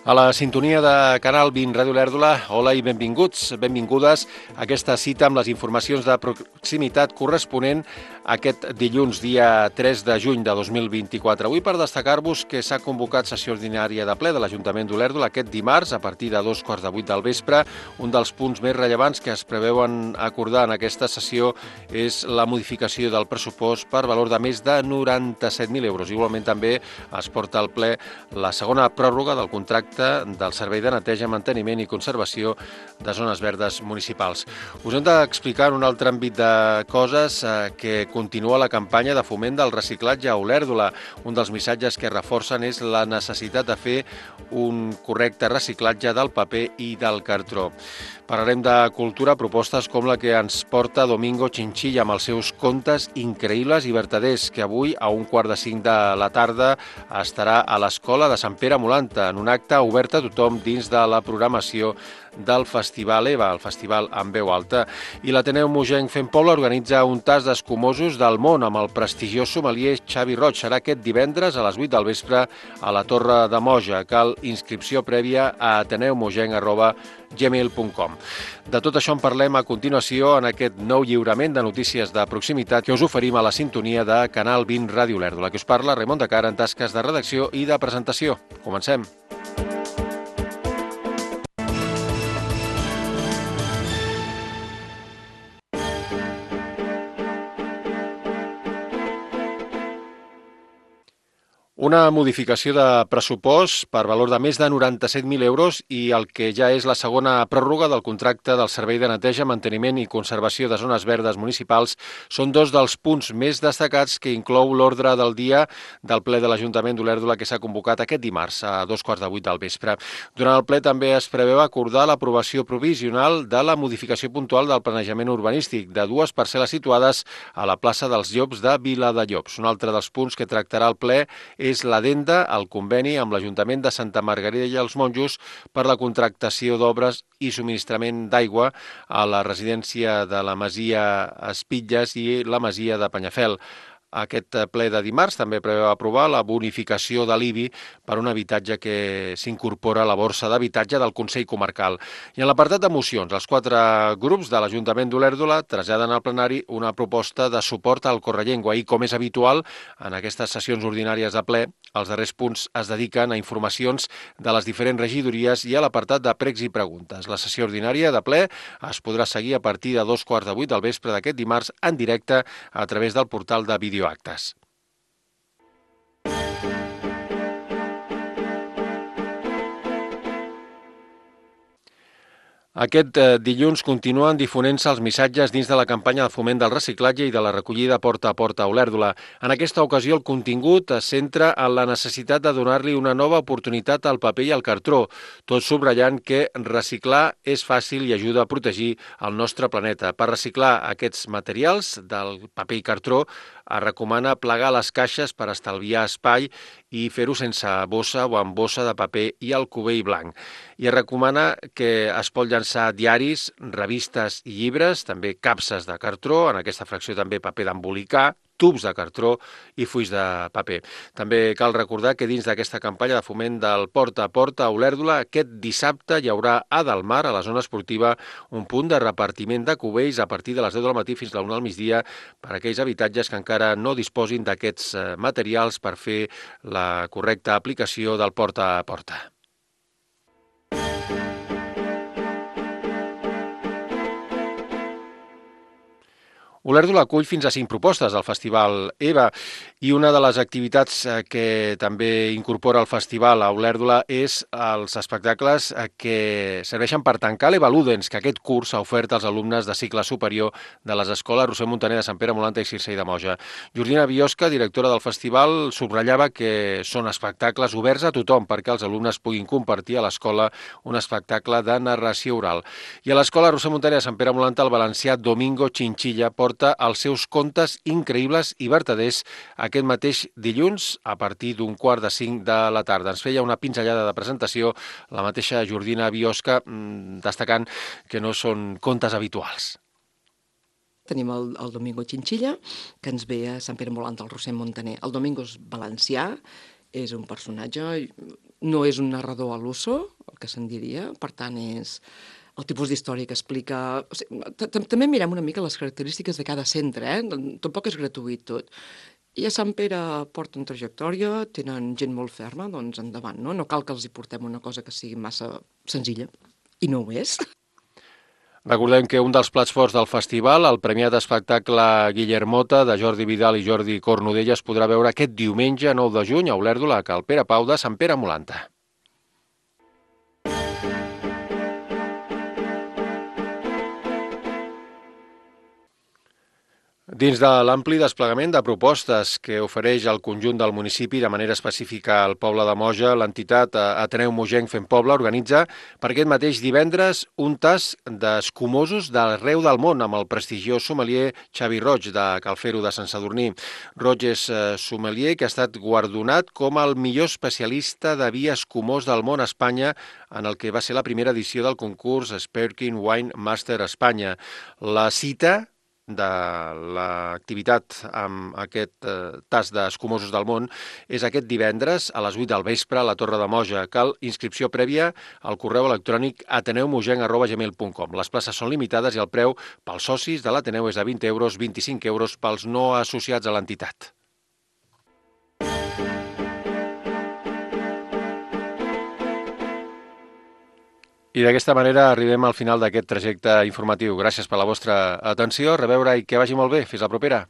A la sintonia de Canal 20 Ràdio Olèrdola, hola i benvinguts, benvingudes a aquesta cita amb les informacions de proximitat corresponent a aquest dilluns, dia 3 de juny de 2024. Avui per destacar-vos que s'ha convocat sessió ordinària de ple de l'Ajuntament d'Olèrdola aquest dimarts a partir de 2:15 del vespre. Un dels punts més rellevants que es preveuen acordar en aquesta sessió és la modificació del pressupost per valor de més de 97.000 euros. Igualment també es porta al ple la segona pròrroga del contracte del Servei de Neteja, Manteniment i Conservació de Zones Verdes Municipals. Us hem d'explicar en un altre àmbit de coses que continua la campanya de foment del reciclatge a Olèrdola. Un dels missatges que reforcen és la necessitat de fer un correcte reciclatge del paper i del cartró. Parlarem de cultura, propostes com la que ens porta Domingo Chinchilla amb els seus contes increïbles i vertaders, que avui a 4:45 de la tarda estarà a l'Escola de Sant Pere Molanta en un acte obert a tothom dins de la programació del Festival EVA, el festival en veu alta. I l'Ateneu Mogenc Fent Poble organitza un tast d'escumosos del món amb el prestigiós sommelier Xavi Roig. Serà aquest divendres a les 8 del vespre a la Torre de Moja. Cal inscripció prèvia a ateneumogenc@gmail.com. De tot això en parlem a continuació en aquest nou lliurament de notícies de proximitat que us oferim a la sintonia de Canal 20 Ràdio Olèrdola. Que us parla Raimon de Cara en tasques de redacció i de presentació. Comencem. Una modificació de pressupost per valor de més de 97.000 euros i el que ja és la segona pròrroga del contracte del Servei de Neteja, Manteniment i Conservació de Zones Verdes Municipals són dos dels punts més destacats que inclou l'ordre del dia del ple de l'Ajuntament d'Olèrdola que s'ha convocat aquest dimarts a 2:15 del vespre. Durant el ple també es preveu acordar l'aprovació provisional de la modificació puntual del planejament urbanístic de dues parcel·les situades a la plaça dels Llops de Viladellobs. Un altre dels punts que tractarà el ple és l'addenda al conveni amb l'Ajuntament de Santa Margarida i els Monjos per la contractació d'obres i subministrament d'aigua a la residència de la Masia Espitlles i la Masia de Penyafel. Aquest ple de dimarts també preveu aprovar la bonificació de l'IBI per un habitatge que s'incorpora a la borsa d'habitatge del Consell Comarcal. I en l'apartat de mocions, els 4 grups de l'Ajuntament d'Olèrdola traslladen al plenari una proposta de suport al Correllengua i, com és habitual, en aquestes sessions ordinàries de ple, els darrers punts es dediquen a informacions de les diferents regidories i a l'apartat de pregs i preguntes. La sessió ordinària de ple es podrà seguir a partir de 2:15 del vespre d'aquest dimarts en directe a través del portal de Videoactes. Aquest dilluns continuen difonent-se els missatges dins de la campanya de foment del reciclatge i de la recollida porta a porta a Olèrdola. En aquesta ocasió el contingut es centra en la necessitat de donar-li una nova oportunitat al paper i al cartró, tot subratllant que reciclar és fàcil i ajuda a protegir el nostre planeta. Per reciclar aquests materials del paper i cartró es recomana plegar les caixes per estalviar espai i fer-ho sense bossa o amb bossa de paper i el cubell blanc. I es recomana que es pot llançar diaris, revistes i llibres, també capses de cartró, en aquesta fracció també paper d'embolicar, tubs de cartró i fulls de paper. També cal recordar que dins d'aquesta campanya de foment del porta a porta a Olèrdola, aquest dissabte hi haurà a Delmar, a la zona esportiva, un punt de repartiment de cubells a partir de les 10 del matí fins a la 1 del migdia per a aquells habitatges que encara no disposin d'aquests materials per fer la correcta aplicació del porta a porta. Olèrdola acull fins a 5 propostes al Festival EVA i una de les activitats que també incorpora el festival a Olèrdola és els espectacles que serveixen per tancar l'EVA Ludens, que aquest curs s'ha ofert als alumnes de cicle superior de les escoles Roser Montaner de Sant Pere Molanta i Circell de Moja. Jordina Biosca, directora del festival, subratllava que són espectacles oberts a tothom perquè els alumnes puguin compartir a l'escola un espectacle de narració oral. I a l'escola Roser Montaner de Sant Pere Molanta el valencià Domingo Chinchilla porta els seus contes increïbles i vertaders aquest mateix dilluns a partir d'4:45 de la tarda. Ens feia una pinzellada de presentació la mateixa Jordina Biosca, destacant que no són contes habituals. Tenim el Domingo Chinchilla, que ens ve a Sant Pere Molanta, al Roser Montaner. El Domingo és valencià és un personatge, no és un narrador a l'uso, el que se'n diria, per tant és el tipus d'història que explica... També mirem una mica les característiques de cada centre, tampoc és gratuït tot. I a Sant Pere porten trajectòria, tenen gent molt ferma, doncs endavant, no? No cal que els hi portem una cosa que sigui massa senzilla, i no ho és. Recordem que un dels plats forts del festival, el premiat espectacle Guillermota, de Jordi Vidal i Jordi Cornudella, es podrà veure aquest diumenge 9 de juny a Olèrdola, a Cal Pere Pau de Sant Pere Molanta. Dins de l'ampli desplegament de propostes que ofereix el conjunt del municipi, de manera específica al poble de Moja, l'entitat Ateneu Mogenc Fem Poble organitza per aquest mateix divendres un tas d'escumosos d'arreu del món amb el prestigiós sommelier Xavi Roig de Calfero de Sant Sadurní. Roig és sommelier que ha estat guardonat com el millor especialista de vi escumós del món a Espanya en el que va ser la primera edició del concurs Sparkling Wine Master Espanya. La cita de l'activitat amb aquest tas d'escumosos del món és aquest divendres a les 8 del vespre a la Torre de Moja. Cal inscripció prèvia al correu electrònic ateneumogenc@gmail.com. Les places són limitades i el preu pels socis de l'Ateneu és de 20 euros, 25 euros pels no associats a l'entitat. I d'aquesta manera arribem al final d'aquest trajecte informatiu. Gràcies per la vostra atenció, a reveure i que vagi molt bé. Fins la propera.